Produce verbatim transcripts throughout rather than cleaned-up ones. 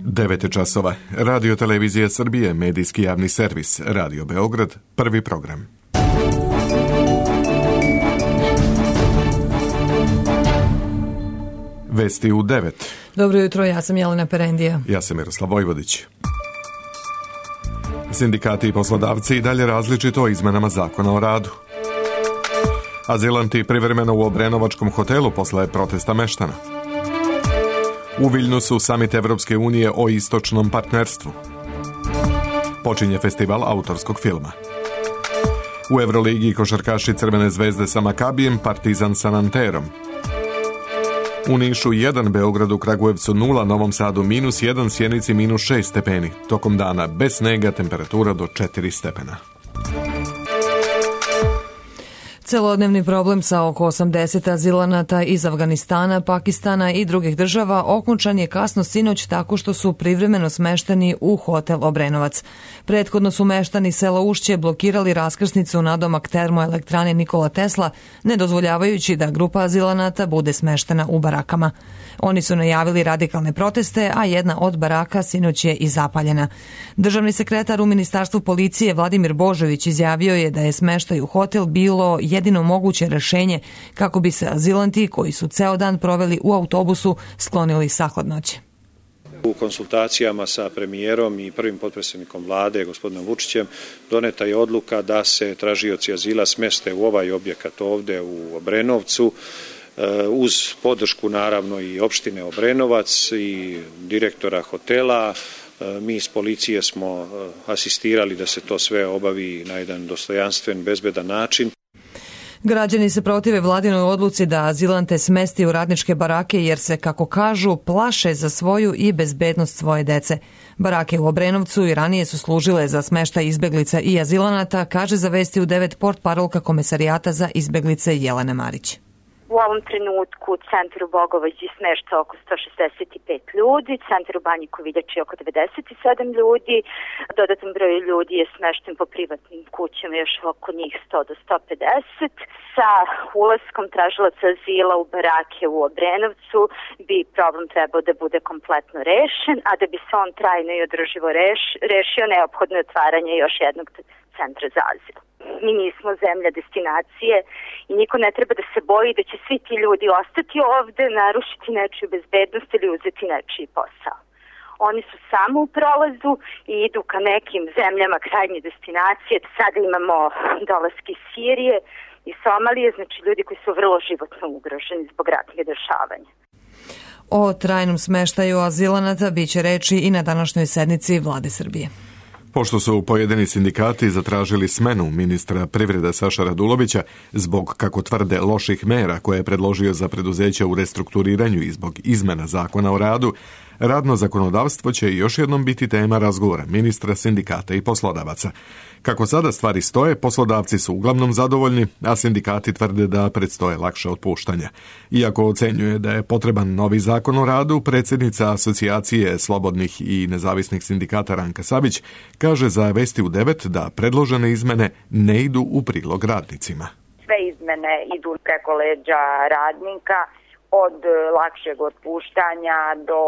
devet časova. Radio Televizija Srbije, medijski javni servis, Radio Beograd, prvi program. Vesti u devet. Dobro jutro, ja sam Jelena Perendija. Ja sam Miroslav Vojvodić. Sindikati i poslodavci i dalje različito o izmenama zakona o radu. Azilanti privremeno u Obrenovačkom hotelu posle protesta meštana. U Viljnusu samit Evropske unije o istočnom partnerstvu. Počinje festival autorskog filma. U Evroligi košarkaši Crvene zvezde sa Makabijem, Partizan sa Nanterom. U Nišu jedan, Beogradu, Kragujevcu nula, Novom Sadu minus jedan, Sjenici minus šest stepeni. Tokom dana bez snega, temperatura do četiri stepena. Celodnevni problem sa oko osamdeset azilanata iz Afganistana, Pakistana i drugih država okončan je kasno sinoć tako što su privremeno smešteni u hotel Obrenovac. Prethodno su meštani sela Ušće blokirali raskrsnicu nadomak termoelektrane Nikola Tesla, ne dozvoljavajući da grupa azilanata bude smeštena u barakama. Oni su najavili radikalne proteste, a jedna od baraka sinoć je i zapaljena. Državni sekretar u Ministarstvu policije Vladimir Božović izjavio je da je smeštaj u hotel bilo jedino moguće rešenje kako bi se azilanti koji su ceo dan proveli u autobusu sklonili sa hladnoće. U konsultacijama sa premijerom i prvim potpredsjednikom vlade, gospodinom Vučićem, doneta je odluka da se tražioci azila smeste u ovaj objekat ovde u Obrenovcu, uz podršku naravno i opštine Obrenovac i direktora hotela. Mi iz policije smo asistirali da se to sve obavi na jedan dostojanstven, bezbedan način. Građani se protive vladinoj odluci da azilante smesti u radničke barake jer se, kako kažu, plaše za svoju i bezbednost svoje dece. Barake u Obrenovcu i ranije su služile za smeštaj izbeglica i azilanata, kaže za Vesti u devet portparolka Komesarijata za izbeglice Jelena Marić. U ovom trenutku u centru Bogovađi smešta oko sto šezdeset pet ljudi, centru Banji Koviljači oko devedeset sedam ljudi, dodatan broj ljudi je smešten po privatnim kućama, još oko njih sto do sto pedeset. Sa ulaskom tražilaca azila u barake u Obrenovcu bi problem trebao da bude kompletno rešen, a da bi se on trajno i održivo reš, rešio, neophodno je otvaranje još jednog centra za azil. Mi nismo zemlja destinacije i niko ne treba da se boji da će svi ti ljudi ostati ovde, narušiti nečiju bezbednost ili uzeti nečiji posao. Oni su samo u prolazu i idu ka nekim zemljama krajnje destinacije. Sada imamo dolaske iz Sirije i Somalije, znači ljudi koji su vrlo životno ugroženi zbog ratnih dešavanja. O trajnom smeštaju azilanata biće reči i na današnjoj sednici Vlade Srbije. Pošto su pojedini sindikati zatražili smenu ministra privrede Saša Radulovića zbog, kako tvrde, loših mera koje je predložio za preduzeća u restrukturiranju i zbog izmena zakona o radu, radno zakonodavstvo će još jednom biti tema razgovora ministra, sindikata i poslodavaca. Kako sada stvari stoje, poslodavci su uglavnom zadovoljni, a sindikati tvrde da predstoje lakše otpuštanja. Iako ocenjuje da je potreban novi zakon o radu, predsjednica Asocijacije slobodnih i nezavisnih sindikata Ranka Savić kaže za Vesti u devet da predložene izmene ne idu u prilog radnicima. Sve izmene idu preko leđa radnika, od lakšeg otpuštanja do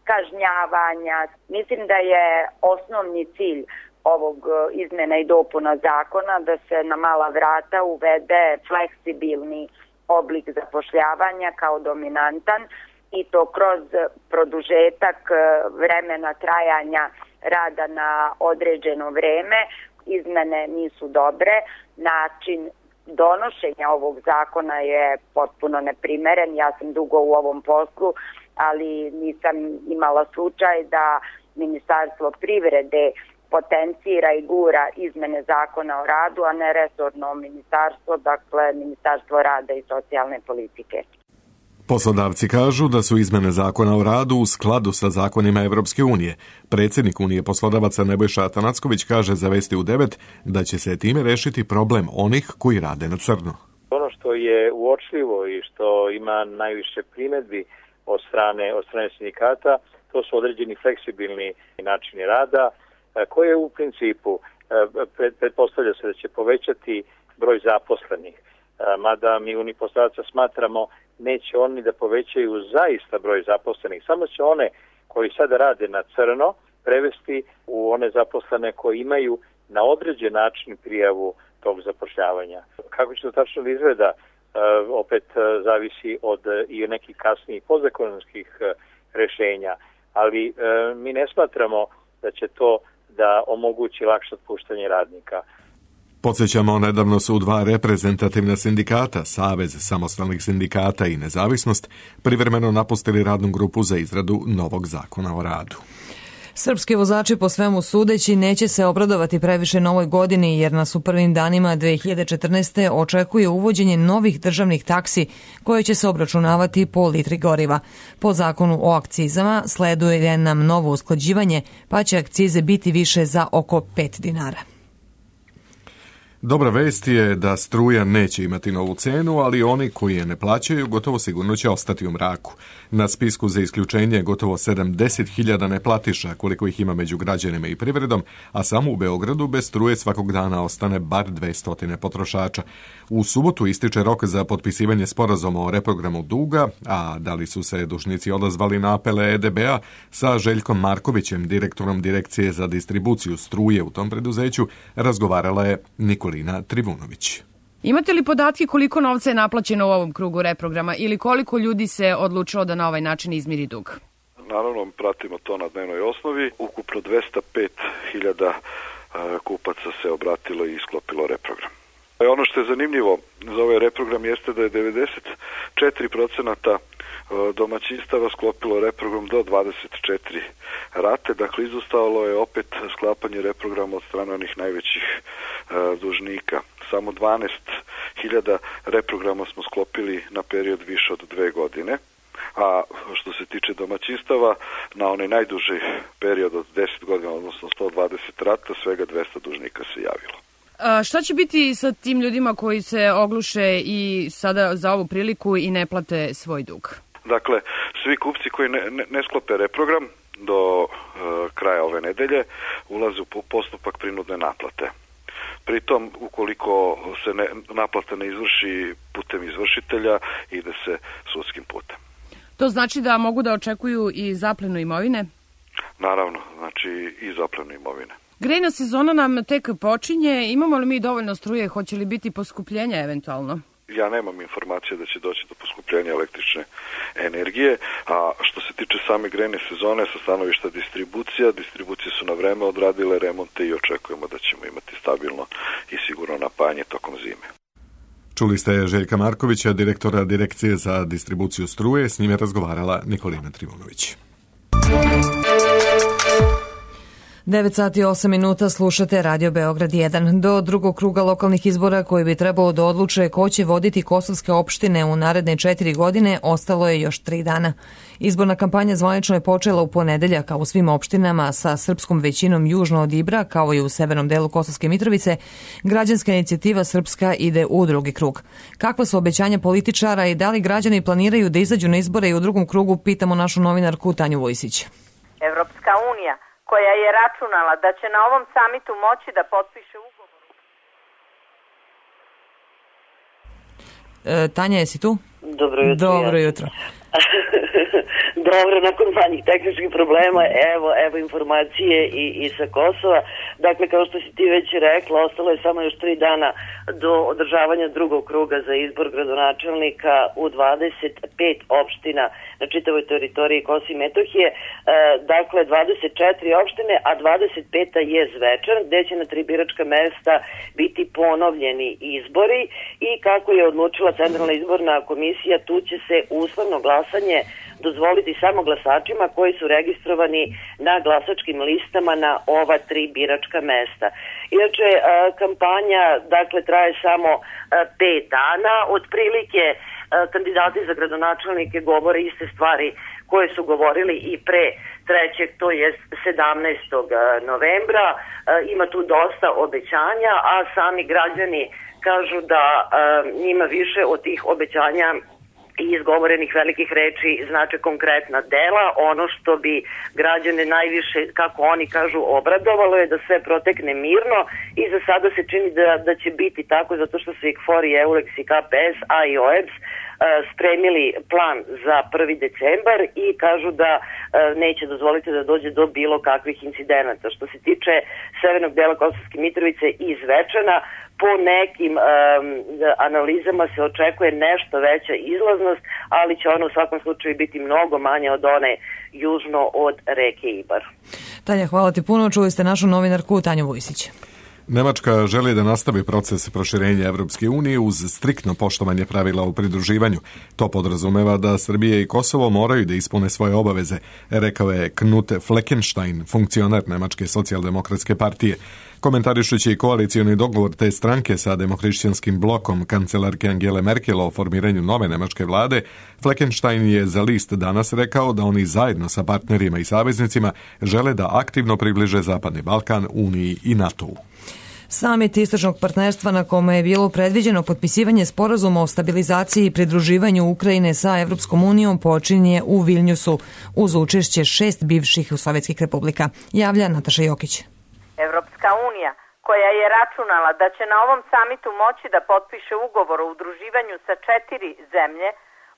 kažnjavanja. Mislim da je osnovni cilj ovog izmena i dopuna zakona da se na mala vrata uvede fleksibilni oblik zapošljavanja kao dominantan i to kroz produžetak vremena trajanja rada na određeno vreme. Izmene nisu dobre, način donošenja ovog zakona je potpuno neprimeren. Ja sam dugo u ovom poslu, ali nisam imala slučaj da Ministarstvo privrede potencira i gura izmene zakona o radu, a ne resorno ministarstvo, dakle Ministarstvo rada i socijalne politike. Poslodavci kažu da su izmene zakona o radu u skladu sa zakonima Evropske unije. Predsjednik Unije poslodavaca Nebojša Atanacković kaže za Vesti u devet da će se time rešiti problem onih koji rade na crno. Ono što je uočljivo i što ima najviše primedbi od strane, od strane sindikata, to su određeni fleksibilni načini rada, koje u principu pretpostavlja se da će povećati broj zaposlenih. Mada mi Uniji poslodavaca smatramo neće oni da povećaju zaista broj zaposlenih, samo će one koji sada rade na crno prevesti u one zaposlene koji imaju na određen način prijavu tog zapošljavanja. Kako će to tačno izgleda, opet zavisi od i nekih kasnijih podzakonskih rešenja, ali mi ne smatramo da će to da omogući lakše otpuštanje radnika. Podsjećamo, nedavno su dva reprezentativna sindikata, Savez samostalnih sindikata i Nezavisnost, privremeno napustili radnu grupu za izradu novog zakona o radu. Srpski vozači po svemu sudeći neće se obradovati previše novoj godini jer nas u prvim danima dve hiljade četrnaeste. očekuje uvođenje novih državnih taksi koje će se obračunavati po litri goriva. Po zakonu o akcizama sleduje nam novo usklađivanje pa će akcize biti više za oko pet dinara. Dobra vest je da struja neće imati novu cenu, ali oni koji je ne plaćaju gotovo sigurno će ostati u mraku. Na spisku za isključenje je gotovo sedamdeset hiljada neplatiša, koliko ih ima među građanima i privredom, a samo u Beogradu bez struje svakog dana ostane bar dvesta potrošača. U subotu ističe rok za potpisivanje sporazuma o reprogramu duga, a da li su se dužnici odazvali na apele E D B-a, sa Željkom Markovićem, direktorom Direkcije za distribuciju struje u tom preduzeću, razgovarala je Nikolina Trivunović. Imate li podatke koliko novca je naplaćeno u ovom krugu reprograma ili koliko ljudi se odlučilo da na ovaj način izmiri dug? Naravno, pratimo to na dnevnoj osnovi. Ukupno dvesta pet hiljada kupaca se obratilo i isklopilo reprogram. Ono što je zanimljivo za ovaj reprogram jeste da je devedeset četiri procenta domaćinstava sklopilo reprogram do dvadeset četiri rate, dakle izostalo je opet sklapanje reprograma od strane onih najvećih dužnika. Samo dvanaest hiljada reprograma smo sklopili na period više od dve godine, a što se tiče domaćinstava, na onaj najduži period od deset godina, odnosno sto dvadeset rata, svega dvesta dužnika se javilo. A šta će biti sa tim ljudima koji se ogluše i sada za ovu priliku i ne plate svoj dug? Dakle, svi kupci koji ne, ne, ne sklope reprogram do e, kraja ove nedelje ulaze u postupak prinudne naplate. Pritom, ukoliko se ne, naplata ne izvrši putem izvršitelja, ide se sudskim putem. To znači da mogu da očekuju i zaplenu imovine? Naravno, znači i zaplenu imovine. Grejna sezona nam tek počinje. Imamo li mi dovoljno struje? Hoće li biti poskupljenja eventualno? Ja nemam informacije da će doći do poskupljenja električne energije, a što se tiče same grejne sezone sa stanovišta distribucija, distribucije su na vreme odradile remonte i očekujemo da ćemo imati stabilno i sigurno napajanje tokom zime. Čuli ste Željka Markovića, direktora Direkcije za distribuciju struje, s njime razgovarala Nikolina Trivunović. devet sati i osam minuta slušate Radio Beograd jedan. Do drugog kruga lokalnih izbora koji bi trebalo da odluče ko će voditi kosovske opštine u naredne četiri godine ostalo je još tri dana. Izborna kampanja zvanično je počela u ponedeljak, kao u svim opštinama sa srpskom većinom južno od Ibra, kao i u severnom delu Kosovske Mitrovice. Građanska inicijativa Srpska ide u drugi krug. Kakva su obećanja političara i da li građani planiraju da izađu na izbore i u drugom krugu, pitamo našu novinarku Tanju Vojsić. Evropska unija, koja je računala da će na ovom samitu moći da potpiše ugovor. E, Tanja, jesi tu? Dobro jutro. Dobro jutro. Dobro, nakon manjih tehničkih problema, evo, evo informacije i, i sa Kosova. Dakle, kao što si ti već rekla, ostalo je samo još tri dana do održavanja drugog kruga za izbor gradonačelnika u dvadeset pet opština na čitavoj teritoriji Kosova i Metohije. E, dakle, dvadeset četiri opštine, a dvadeset peta je Zvečan, gde će na tri biračka mesta biti ponovljeni izbori i kako je odlučila Centralna izborna komisija, tu će se uslovno glasanje dozvoliti samo glasačima koji su registrovani na glasačkim listama na ova tri biračka mesta. Inače, kampanja dakle traje samo pet dana, otprilike kandidati za gradonačelnike govore iste stvari koje su govorili i pre trećeg, to je sedamnaestog novembra. Ima tu dosta obećanja, a sami građani kažu da njima više od tih obećanja i izgovorenih velikih reči znače konkretna dela. Ono što bi građane najviše, kako oni kažu, obradovalo je da sve protekne mirno i za sada se čini da, da će biti tako, zato što su i KFOR i EULEX i K P S, a i O E B S spremili plan za prvi decembar i kažu da neće dozvoliti da dođe do bilo kakvih incidenata. Što se tiče severnog dela Kosovske Mitrovice i Zvečana, po nekim um, analizama se očekuje nešto veća izlaznost, ali će ona u svakom slučaju biti mnogo manje od one južno od reke Ibar. Tanja, hvala ti puno. Čuli ste našu novinarku Tanju Vujsić. Nemačka želi da nastavi proces proširenja Evropske unije uz striktno poštovanje pravila o pridruživanju. To podrazumeva da Srbija i Kosovo moraju da ispune svoje obaveze, rekao je Knut Fleckenstein, funkcioner Nemačke socijaldemokratske partije. Komentarišući koalicioni dogovor te stranke sa demohrišćanskim blokom kancelarke Angele Merkel o formiranju nove nemačke vlade, Fleckenstein je za list danas rekao da oni zajedno sa partnerima i saveznicima žele da aktivno približe Zapadni Balkan Uniji i NATO-u. Samit istočnog partnerstva na kome je bilo predviđeno potpisivanje sporazuma o stabilizaciji i pridruživanju Ukrajine sa Evropskom unijom počinje u Vilnjusu uz učešće šest bivših sovjetskih republika. Javlja Nataša Jokić. Evropska unija, koja je računala da će na ovom samitu moći da potpiše ugovor o udruživanju sa četiri zemlje,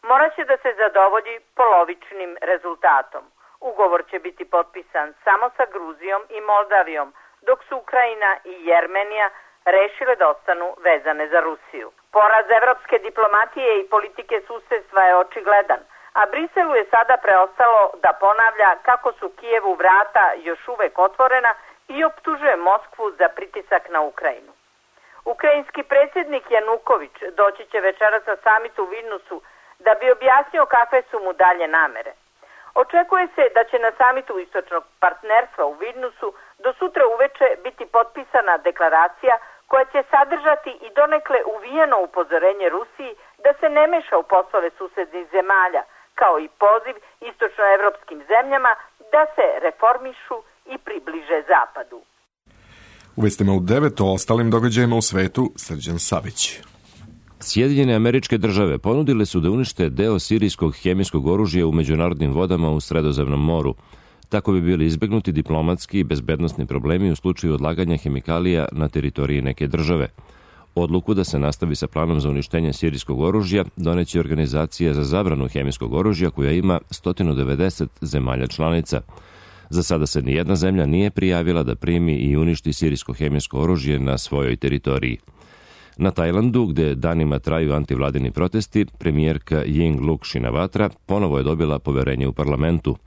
moraće da se zadovolji polovičnim rezultatom. Ugovor će biti potpisan samo sa Gruzijom i Moldavijom, dok su Ukrajina i Jermenija rešile da ostanu vezane za Rusiju. Poraz evropske diplomatije i politike susedstva je očigledan, a Briselu je sada preostalo da ponavlja kako su Kijevu vrata još uvek otvorena i optužuje Moskvu za pritisak na Ukrajinu. Ukrajinski predsjednik Januković doći će večeras na samitu u Vilnusu da bi objasnio kakve su mu dalje namere. Očekuje se da će na samitu istočnog partnerstva u Vilnusu do sutra uveče biti potpisana deklaracija koja će sadržati i donekle uvijeno upozorenje Rusiji da se ne meša u poslove susednih zemalja, kao i poziv istočnoevropskim zemljama da se reformišu i približe Zapadu. U vestima u devet o ostalim događajima u svetu, Srđan Savić. Sjedinjene Američke Države ponudile su da unište deo sirijskog hemijskog oružja u međunarodnim vodama u Sredozemnom moru. Tako bi bili izbegnuti diplomatski i bezbednosni problemi u slučaju odlaganja hemikalija na teritoriji neke države. Odluku da se nastavi sa planom za uništenje sirijskog oružja doneće Organizacija za zabranu hemijskog oružja koja ima sto devedeset zemalja članica. Za sada se nijedna zemlja nije prijavila da primi i uništi sirijsko hemijsko oružje na svojoj teritoriji. Na Tajlandu, gde danima traju antivladini protesti, premijerka Yingluck Shinawatra ponovo je dobila poverenje u parlamentu.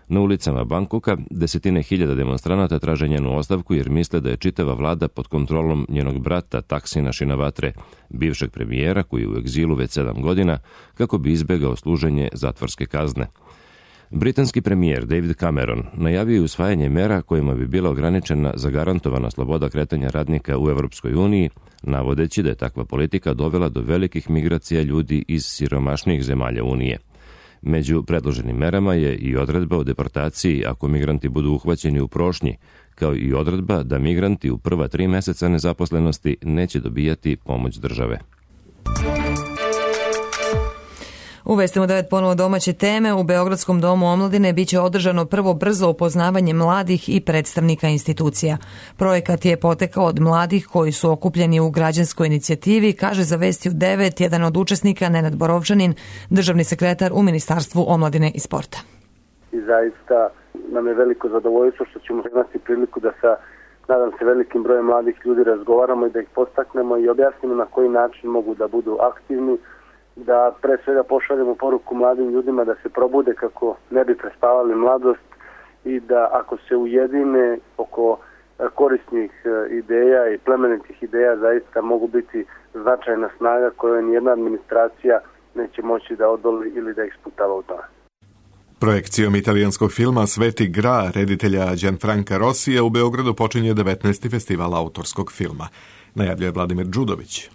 Na ulicama Bangkoka desetine hiljada demonstranata traže njenu ostavku jer misle da je čitava vlada pod kontrolom njenog brata Taksina Shinawatre, bivšeg premijera koji je u egzilu već sedam godina, kako bi izbegao služenje zatvorske kazne. Britanski premijer David Cameron najavio je usvajanje mera kojima bi bila ograničena zagarantovana sloboda kretanja radnika u Evropskoj uniji, navodeći da je takva politika dovela do velikih migracija ljudi iz siromašnijih zemalja Unije. Među predloženim merama je i odredba o deportaciji ako migranti budu uhvaćeni u prošnji, kao i odredba da migranti u prva tri meseca nezaposlenosti neće dobijati pomoć države. U Vestima devet ponovo domaće teme. U Beogradskom domu omladine biće održano prvo brzo upoznavanje mladih i predstavnika institucija. Projekat je potekao od mladih koji su okupljeni u građanskoj inicijativi, kaže za Vesti u devet jedan od učesnika, Nenad Borovčanin, državni sekretar u Ministarstvu omladine i sporta. I zaista nam je veliko zadovoljstvo što ćemo imati priliku da sa, nadam se, velikim brojem mladih ljudi razgovaramo i da ih postaknemo i objasnimo na koji način mogu da budu aktivni, da pre svega pošaljemo poruku mladim ljudima da se probude kako ne bi prespavali mladost i da ako se ujedine oko korisnih ideja i plemenitih ideja zaista mogu biti značajna snaga koju nijedna administracija neće moći da odoli ili da ih sputava u tome. Projekcijom italijanskog filma Sveti Gra reditelja Gianfranca Rossija u Beogradu počinje devetnaesti festival autorskog filma. Najavljuje Vladimir Đudović.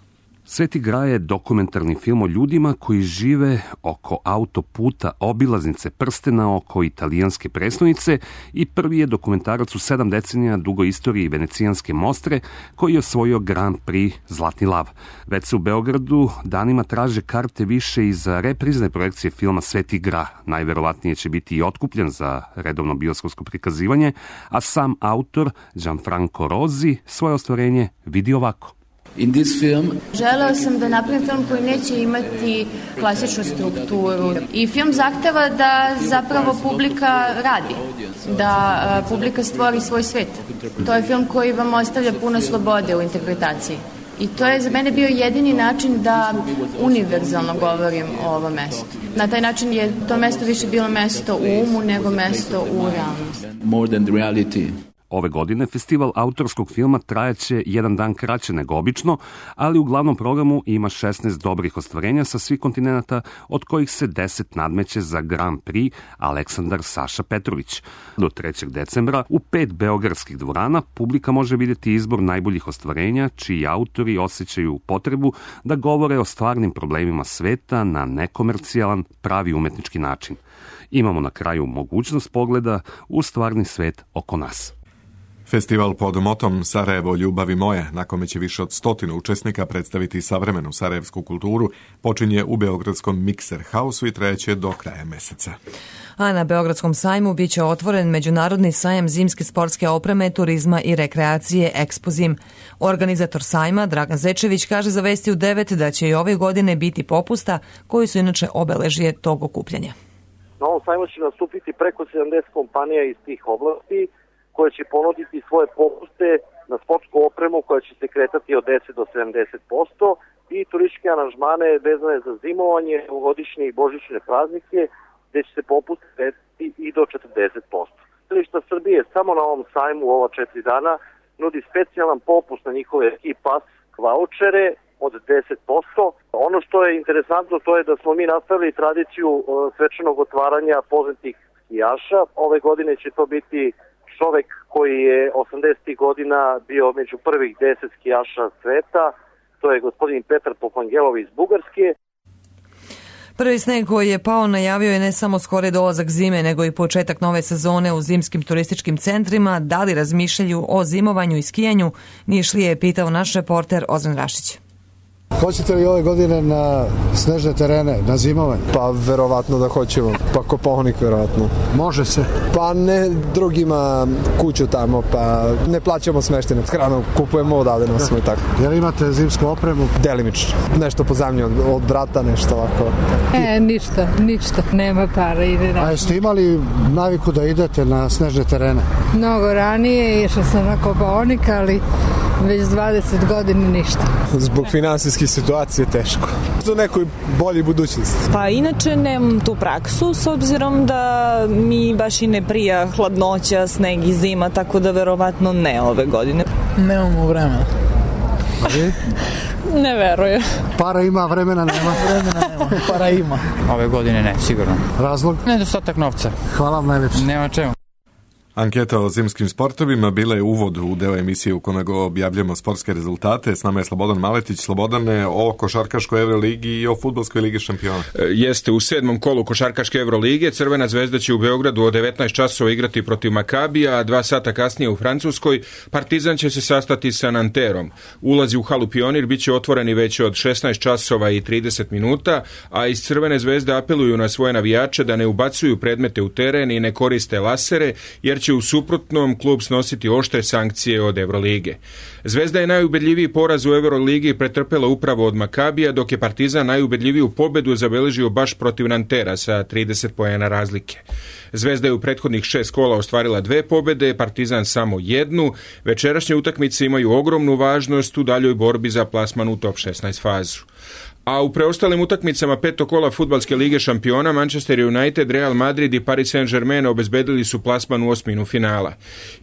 Sveti Gra je dokumentarni film o ljudima koji žive oko autoputa obilaznice prstena oko italijanske prestonice i prvi je dokumentarac u sedam decenija dugoj istoriji venecijanske Mostre koji je osvojio Grand Prix Zlatni lav. Već se u Beogradu danima traže karte više i za reprizne projekcije filma Sveti Gra. Najverovatnije će biti i otkupljen za redovno bioskopsko prikazivanje, a sam autor Gianfranco Rosi svoje ostvarenje vidi ovako. In this film, želeo sam da napravim film koji neće imati klasičnu strukturu i film zahteva da zapravo publika radi, da publika stvori svoj svet. To je film koji vam ostavlja puno slobode u interpretaciji. I to je za mene bio jedini način da univerzalno govorim o ovom mestu. Na taj način je to mesto više bilo mesto u umu nego mesto u realnosti. More than the reality. Ove godine festival autorskog filma trajaće jedan dan kraće nego obično, ali u glavnom programu ima šesnaest dobrih ostvarenja sa svih kontinenta, od kojih se deset nadmeće za Grand Prix Aleksandar Saša Petrović. Do trećeg decembra u pet beogradskih dvorana publika može vidjeti izbor najboljih ostvarenja, čiji autori osjećaju potrebu da govore o stvarnim problemima sveta na nekomercijalan, pravi umetnički način. Imamo na kraju mogućnost pogleda u stvarni svet oko nas. Festival pod motom Sarajevo, ljubavi moje, na kome će više od stotinu učesnika predstaviti savremenu sarajevsku kulturu, počinje u beogradskom Mikser Hausu i trajeće do kraja meseca. A na Beogradskom sajmu bit će otvoren Međunarodni sajam zimske sportske opreme, turizma i rekreacije Ekspozim. Organizator sajma, Dragan Zečević, kaže za Vesti u devet da će i ove godine biti popusta, koji su inače obeležje tog okupljanja. Na ovom sajmu će nastupiti preko sedamdeset kompanija iz tih oblasti, koje će ponuditi svoje popuste na sportsku opremu koja će se kretati od deset do sedamdeset posto i turističke aranžmane vezane za zimovanje, novogodišnje i božićne praznike, gde će se popuste kretati i do četrdeset posto. Tržišta Srbije samo na ovom sajmu u ova četiri dana nudi specijalan popust na njihove e-pass vaučere od deset posto. Ono što je interesantno to je da smo mi nastavili tradiciju svečanog otvaranja poznatih skijaša. Ove godine će to biti čovek koji je osamdesetih godina bio među prvih deset skijaša sveta, to je gospodin Petar Popangelov iz Bugarske. Prvi sneg koji je pao najavio je ne samo skori dolazak zime, nego i početak nove sezone u zimskim turističkim centrima. Da li razmišljaju o zimovanju i skijanju? Nišlije je pitao naš reporter Ozren Rašić. Hoćete li ove godine na snežne terene, na zimovanje? Pa verovatno da hoćemo, pa Kopaonik verovatno. Može se? Pa ne, drugima kuću tamo, pa ne plaćamo smeštenje, hranu kupujemo odavde, nosimo i tako. Jel imate zimsku opremu? Delimično, nešto pozajmljujem od, od brata, nešto ovako. E, ništa, ništa, nema para, ide na... A jeste imali naviku da idete na snežne terene? Mnogo ranije, išla sam na Kopaonik, ali već dvadeset godina ništa. Zbog finansijske situacije teško. Do nekoj bolji budućnosti. Pa inače nemam tu praksu s obzirom da mi baš i ne prija hladnoća, sneg i zima, tako da verovatno ne ove godine. Nemamo vremena. A vi? Ne verujem. Para ima, vremena nema. Vremena nema, para ima. Ove godine ne, sigurno. Razlog? Nedostatak novca. Hvala vam najljepše. Nema čemu. Anketa o zimskim sportovima bila je uvod u deo emisije u kome go objavljamo sportske rezultate. S nama je Slobodan Maletić. Slobodane, o košarkaškoj Euroligi i o fudbalskoj ligi šampiona. Jeste, u sedmom kolu košarkaške Eurolige Crvena zvezda će u Beogradu od devetnaest časova igrati protiv Makabija, a dva sata kasnije u Francuskoj Partizan će se sastati sa Nanterom. Ulazi u halu Pionir biće otvoreni već od šesnaest časova i trideset minuta, a iz Crvene zvezde apeluju na svoje navijače da ne ubacuju predmete u teren i ne koriste lasere, jer će u suprotnom klub snositi oštre sankcije od Eurolige. Zvezda je najubedljiviji poraz u Euroligi pretrpela upravo od Makabija, dok je Partizan najubedljiviju pobedu zabeležio baš protiv Nantera sa trideset poena razlike. Zvezda je u prethodnih šest kola ostvarila dve pobede, Partizan samo jednu. Večerašnje utakmice imaju ogromnu važnost u daljoj borbi za plasman u top šesnaest fazu. A u preostalim utakmicama petog kola fudbalske lige šampiona Manchester United, Real Madrid i Paris Saint-Germain obezbedili su plasman u osminu finala.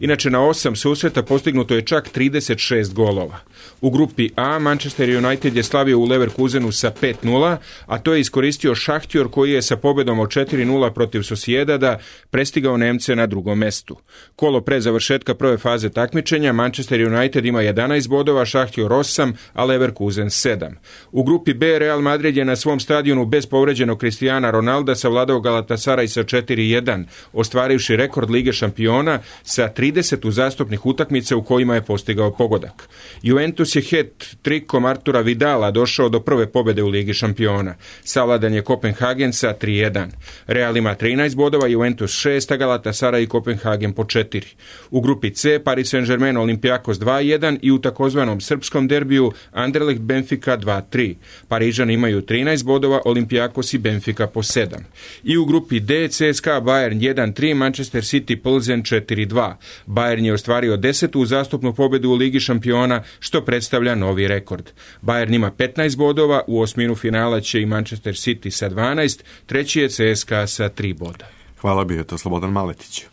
Inače na osam susreta postignuto je čak trideset šest golova. U grupi A Manchester United je slavio u Leverkusenu sa pet nula, a to je iskoristio Šahtjor koji je sa pobedom od četiri nula protiv Sociedada prestigao Nemce na drugom mestu. Kolo pre završetka prve faze takmičenja Manchester United ima jedanaest bodova, Šahtjor osam, a Leverkusen sedam. U grupi B C, Real Madrid je na svom stadionu bez povređenog Cristiana Ronalda savladao Galatasaray sa četiri jedan, ostvarivši rekord Lige šampiona sa trideset uzastopnih utakmica u kojima je postigao pogodak. Juventus je hat-trikom Artura Vidala došao do prve pobjede u Ligi šampiona. Savladan je Kopenhagen sa tri jedan. Real ima trinaest bodova, Juventus šest, a Galatasaray i Kopenhagen po četiri. U grupi C Paris Saint-Germain Olympiakos dva jedan i u takozvanom srpskom derbiju Anderlecht Benfica dva tri. Parižani imaju trinaest bodova, Olympiakos i Benfica po sedam. I u grupi D C S K A Bayern jedan tri, Manchester City Plzen četiri dva. Bayern je ostvario desetu uzastopnu pobjedu u Ligi šampiona, što predstavlja novi rekord. Bayern ima petnaest bodova, u osminu finala će i Manchester City sa dvanaest, treći je C S K A sa tri boda. Hvala, bio je to Slobodan Maletić.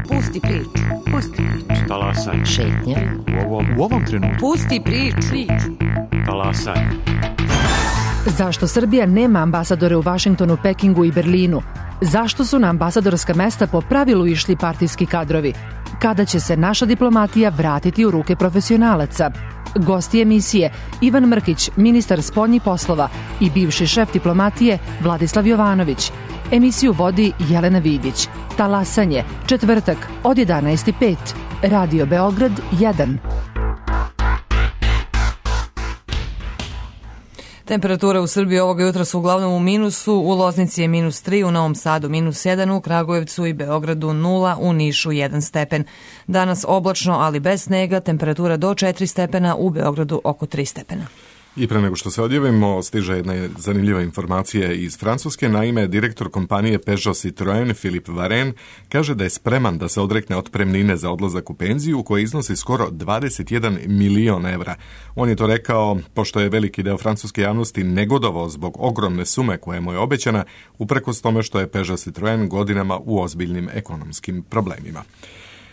Pusti priču. Pusti priču. Talasaj. Šetnja. U ovom, u ovom trenutku. Pusti priču. priču. Talasaj. Zašto Srbija nema ambasadore u Vašingtonu, Pekingu i Berlinu? Zašto su na ambasadorska mesta po pravilu išli partijski kadrovi? Kada će se naša diplomatija vratiti u ruke profesionalaca? Gosti emisije Ivan Mrkić, ministar spoljnih poslova, i bivši šef diplomatije Vladislav Jovanović. Emisiju vodi Jelena Vidić. Talasanje, četvrtak od jedanaest i pet. Radio Beograd jedan. Temperatura u Srbiji ovoga jutra su uglavnom u minusu, u Loznici je minus tri, u Novom Sadu minus jedan, u Kragujevcu i Beogradu nula, u Nišu jedan stepen. Danas oblačno, ali bez snega, temperatura do četiri stepena, u Beogradu oko tri stepena. I pre nego što se odjavimo, stiže jedna zanimljiva informacija iz Francuske. Naime, direktor kompanije Peugeot Citroën Philippe Varenne kaže da je spreman da se odrekne otpremnine za odlazak u penziju, koja iznosi skoro dvadeset jedan milion evra. On je to rekao pošto je veliki deo francuske javnosti negodovao zbog ogromne sume koja mu je obećana, uprkos tome što je Peugeot Citroën godinama u ozbiljnim ekonomskim problemima.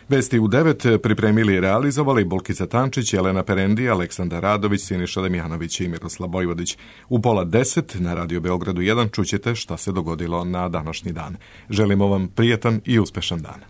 Vesti u devet pripremili i realizovali Bolkica Tančić, Jelena Perendi, Aleksandar Radović, Siniša Damjanović i Miroslav Bojvodić. U pola deset na Radio Beogradu jedan čućete šta se dogodilo na današnji dan. Želimo vam prijetan i uspešan dan.